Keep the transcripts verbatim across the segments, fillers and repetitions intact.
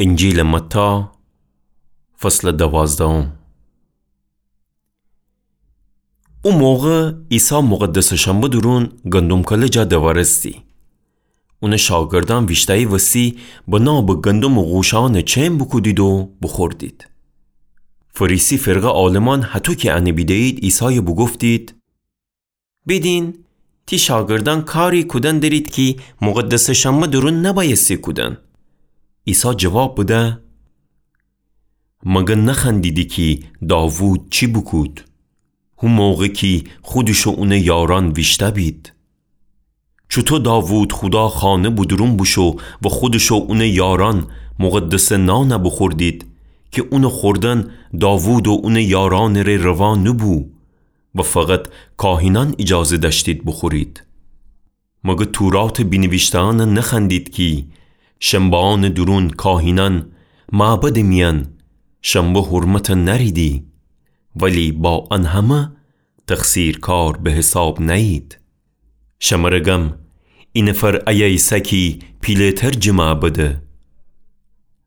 انجیلٚ متی، فصلٚ دوازدهم. او موقع عیسی مقدسٚ شنبه دورون گندم‌کله جا دوارستی. اونٚ شاگردأن ویشتأیی وسی بنابٚ گندمٚ غوشأنٚ چئن بوکودید و بوخوردید. فریسی فرقه عالمأن هطو کی انه بیده‌یید، عیسای بوگفتید: بیدین، تی شاگردأن کاری کودن درید کی مقدسٚ شنبه دورون نبأیستی کودن. عیسی جواب بده: مگر نخوأندیدی کی داوود چی بوکود، هو موقع کی خودش و اونٚ یارأن ویشتأ بید؟ چوطو داوود خودا خانه بودورون بوشو و خودش و اونٚ یارأن مقدسٚ نان بوخوردید کی اونٚ خوردن داوود و اونٚ یارأنٚ ره روا نوبو و فقط کاهینأن ایجازه دأشتید بوخورید؟ مگر توراتٚ بینیویشته‌أن نخوأندید کی شنبه‌أنٚ دورون کاهینأن معبدٚ میأن شنبه حرمت نأریدی، ولی با ان همه تقصیرکار به حساب نأیید؟ شمر گم، ای نفر ایه ایسه کی پیله‌تر جه معبده.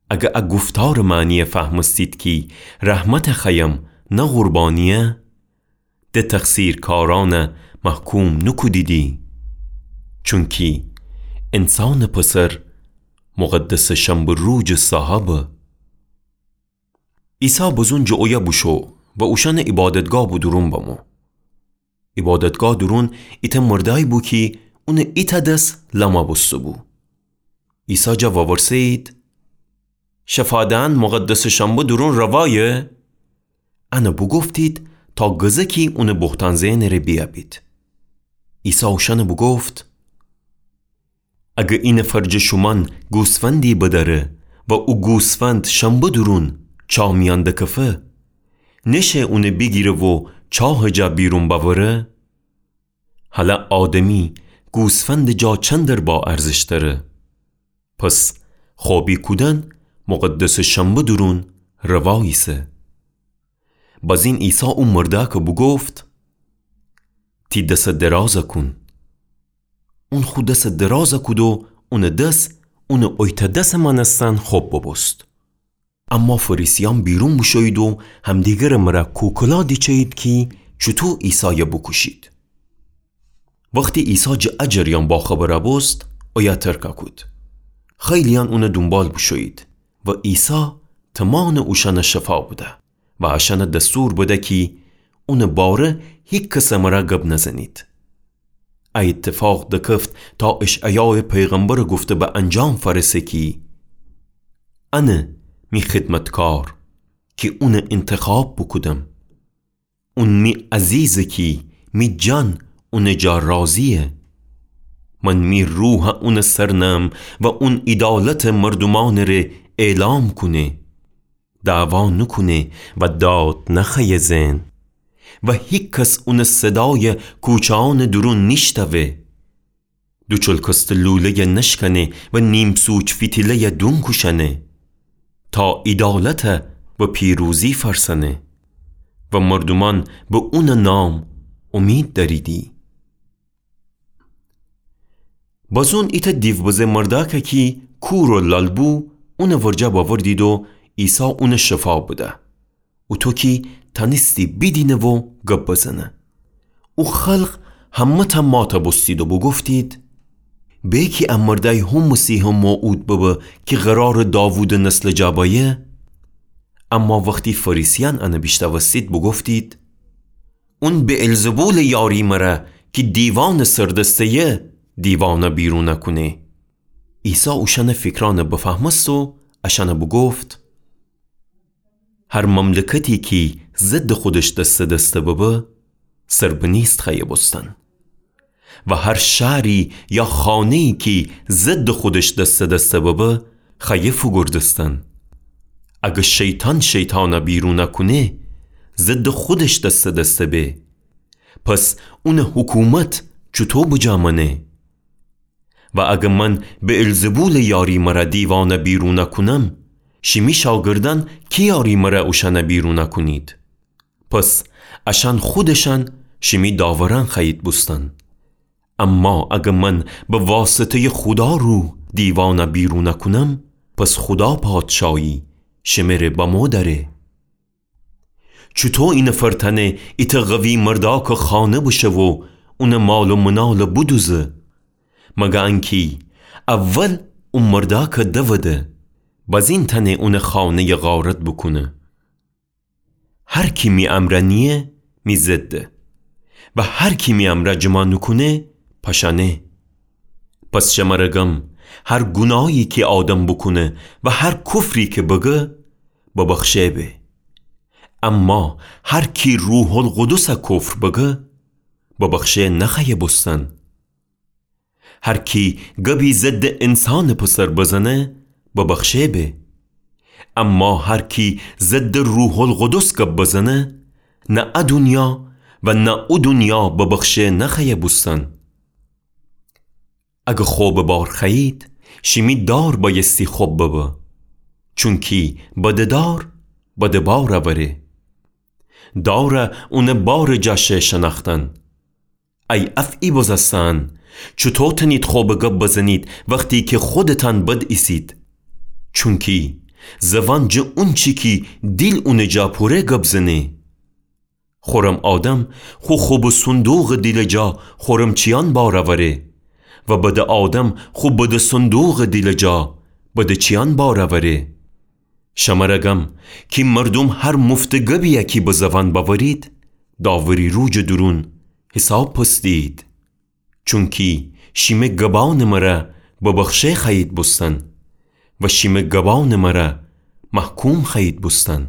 اگر ا گفتارٚ معنی فهمستید کی رحمت خوأیم نه قربانیه، ده تقصیرکارأن محکوم نوکودیدی، چونکی انسانٚ پسر مقدسٚ شنبه روجٚ صاحبه. عیسی بزون جٚه اویه بوشو و اوشأنٚ عیبادتگاه بودورون بمو. عیبادتگاه دورون ایتأ مردأیی بو کی اونٚ ایتأ دس لمه بوسته‌بو. عیسی جا وورسه‌یید: شفا دئن مقدسٚ شنبه دورون روایه؟ انه بوگفتید تا گزه کی اونٚ بهتأن زئنٚ ره بیأبید. عیسی اوشأنه بوگفت: اگر ای نفر جٚه شومأن گوسفندی بدأره و او گوسفند شنبه دورون چاه میأن دکفه، نشه اونه بیگیره و چاهٚ جا بیرون بأوره؟ هلأ آدمی گوسفندٚ جا چندر با ارزشتره. پس خوبی کودن مقدسٚ شنبه دورون روا ایسه. بازین عیسی او مردأکه بوگفت: تی دسه درازه کون. اون خو دسه درازه کود و اونٚ دس اونٚ اویتأ دسٚ مأنستن خوب بوبوست. اما فریسیأن بیرون بوشویید و همدیگرٚ مرأ کوکلا دیچه‌یید کی چوطو عیسایه بوکوشید. وختی عیسی جٚه ا جریان باخبر بوست، اویه ترکه کود. خیلیأن اونٚ دونبال بوشویید و عیسی تومانٚ اوشأنه شفا بده و اشأنه دستور بده کی اونٚ باره هیکسٚ مرأ گب نزنید. ا ایتفاق دکفت تا اشعیایٚ پیغمبرٚ گفته به انجام فأرسه کی: انه می خدمتکار کی اونه اینتخاب بوکودم. اون می عزیزه کی می جان اونٚ جا راضییه. من می روحه اونٚ سر نم و اون عیدالتٚ مردومأنٚ ره اعلام کونه. دعوا نوکونه و داد نخوأیه زئن و هیکس اونٚ صدایه کوچه‌أنٚ دورون نیشتأوه. دوچلکسته لوله‌یه نشکنه و نیم‌سوچ فیتیله‌یه دون کوشأنه، تا عیدالته و پیروزی فأرسأنه و مردومأن به اونٚ نام اومید دأریدی. بازون ایتأ دیوبزه مردأکه کی کور و لال بو، اونٚ ورجه بأوردید و عیسی اونه شفا بده. اوطو کی تأنستی بیدینه و گب بزنه. او خلق همه‌تأ ماتَ بوستید و بوگفتید: به کی ا مردأی هو مسیحٚ موعود ببه کی قرارٚ داوودٚ نسلٚ جا بأیه؟ اما وختی فریسیأن انه بیشنوستید بوگفتید: اون بعلزبولٚ یاری مره کی دیوانٚ سر دسته‌یه دیوانَ بیرونَ کونه. عیسی اوشأنٚ فیکرأنَ بفهمست و اشأنَ بوگفت: هر مملکتی کی ضدٚ خودش دسته دسته ببه، سر به نیست خوأیه بوستن. و هر شهری یا خانه‌یی کی ضدٚ خودش دسته دسته ببه، خوأیه فوگوردستن. اگه شیطان شیطانَ بیرونَ کونه، ضدٚ خودش دسته دسته به. پس اونٚ حکومت چوطو بجا مأنه؟ و اگه من بعلزبولٚ یاری مره دیوانَ بیرونَ کونم، شیمی شاگردأن کی یاری مره اوشأنَ بیرونَ کونید؟ پس اشأن خودشأن شیمی داورأن خوأیید بوستن. اما اگه من به واسطه‌یٚ خودا روح دیوانَ بیرونَ کونم، پس خودا پادشایی شمره بمو دأره. چوطو اینفر تأنه ایتأ قوی مردأکٚ خانه بشه و اونٚ مال و منال بدوزه؟ مگه انکی اول او مردأکٚ دوده، بزین تأنه اونٚ خانه‌یٚ غارت بوکونه. هر کی می امرأ نییه، می ضده، و هر کی می امرأ جمع نوکونه، پشأنه. پس شمره گم، هر گوناهی کی آدم بوکونه و هر کفری کی بگه، ببخشه به. اما هر کی روح‌القدسَ کفر بگه، ببخشه نخوأیه بوستن. هر کی گبی ضدٚ انسانٚ پسر بزنه، ببخشه به. اما هر کی ضدٚ روح‌القدس گب بزنه، نه ا دونیا و نه او دونیا ببخشه نخوأیه بوستن. اگه خب بار خوأیید، شیمی دار بأیستی خب ببه. چونکی بدٚ دار بدٚ بار اوره. دارَ اونٚ بارٚ جا شه شنأختن. ای افعی بزستن، چوطو تأنید خب گب بزنید وختی کی خودتأن بد ایسید؟ چونکی زوان جٚه اونچی کی دیل اونٚ جا پوره گب زنه. خورم آدم خو خبٚ صندوقٚ دیلٚ جا خورم چیأن بار اوره و بدٚ آدم خو بدٚ صندوقٚ دیلٚ جا بدٚ چیأن بار اوره. شمره گم کی مردوم هر مفتٚ گبیی کی به زوان بأورید، داوری روجٚ دورون حیساب پس دیید. چونکی شیمه گبأنٚ مره ببخشه خوأیید بوستن و شیمه گبأنٚ مره محکوم خوأیید بوستن.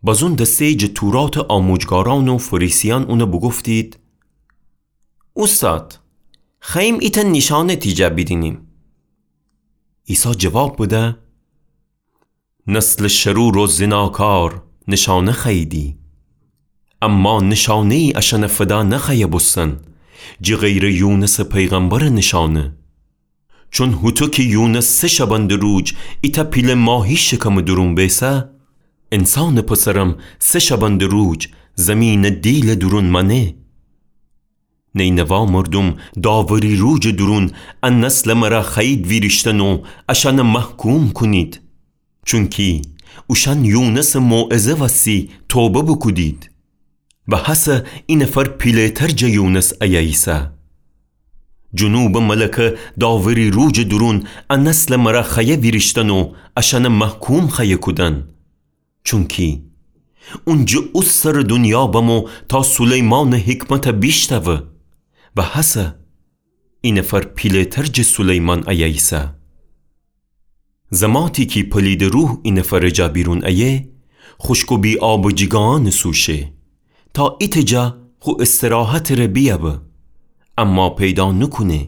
بزون دسته‌یی جٚه توراتٚ آموجگارأن و فریسیأن اونَ بوگفتید: اوستاد، خوأییم ایتأ نیشأنه تی جا بیدینیم. عیسی جواب بده: نسلٚ شرور و زناکار نیشأنه خوأییدی، اما نیشأنه‌یی اشأنَ فدا نخوأیه بوستن، جٚه غیرٚ یونسٚ پیغمبرٚ نیشأنه. چون هوطو کی یونس سه شبندٚ روج ایتأ پیله ماهی شکمٚ دورون بیسه، انسانٚ پسرم سه شبندٚ روج زیمینٚ دیلٚ دورون مأنه. نینوا مردوم داوری روجٚ دورون ا نسلٚ مره خوأیید ویریشتن و اشأنَ محکوم کونید. چونکی اوشأن یونسٚ موعظه وستی توبه بوکودید و هسه اینفر پیله‌تر جٚه یونس ایه ایسه. جنوبٚ ملکه داوری روجٚ دورون ا نسلٚ مره خوأیه ویریشتن و اشأنَ محکوم خوأیه کودن. چونکی اون جٚه او سرٚ دونیا بمو تا سلیمانٚ حکمتَ بیشتأوه و هسه اینفر پیله‌تر جٚه سلیمان ایه ایسه. زماتی کی پلیدٚ روح اینفرٚ جا بیرون ایه، خوشک و بی‌آبٚ جیگانٚ سو شه، تا ایتأ جا خو استراحتٚ ره بیأوه، اما پیدا نوکونه.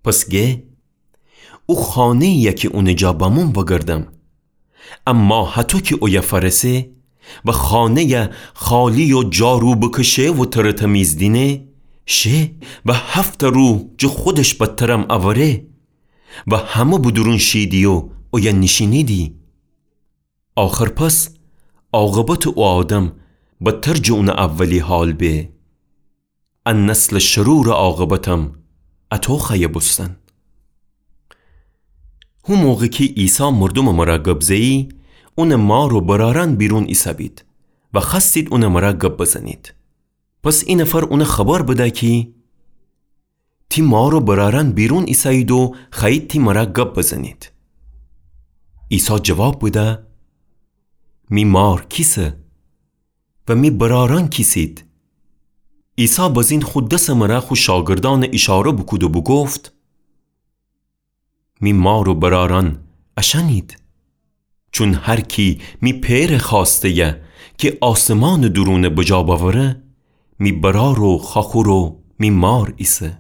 پس گه: او خانه‌یی‌یه کی اونٚ جا بموم وگردم. اما هطو کی اویه فأرسه و خانه‌یَ خالی و جارو بکشه و ترٚ تمیز دینه، شه و هفت روح جٚه خودش بدترم اوره و همه به دورون شیدی و اویه نیشینیدی. آخر پس عاقبتٚ او آدم بدتر جٚه اونٚ اولی حال به. ا نسلٚ شرورٚ عاقبتم اطو خوأیه بوستن. هو موقع کی عیسی مردومٚ مره گب زه‌یی، اونٚ مار و برأرأن بیرون ایسه‌بید و خوأستید اونٚ مره گب بزنید. پس اینفر اونَ خبر بده کی: تی مار و برأرأن بیرون ایسه‌یید و خوأیید تی مره گب بزنید. عیسی جواب بده: می مار کیسه و می برأرأن کیسید؟ عیسی بزین خو دسٚ مره خو شاگردأنَ ایشاره بوکود و بوگفت: می مار و برأرأن اشأنید. چون هر کی می پئرٚ خوأسته‌یَ کی آسمانٚ دورونَ بجا بأوره، می برأر و خوأخور و می مار ایسه.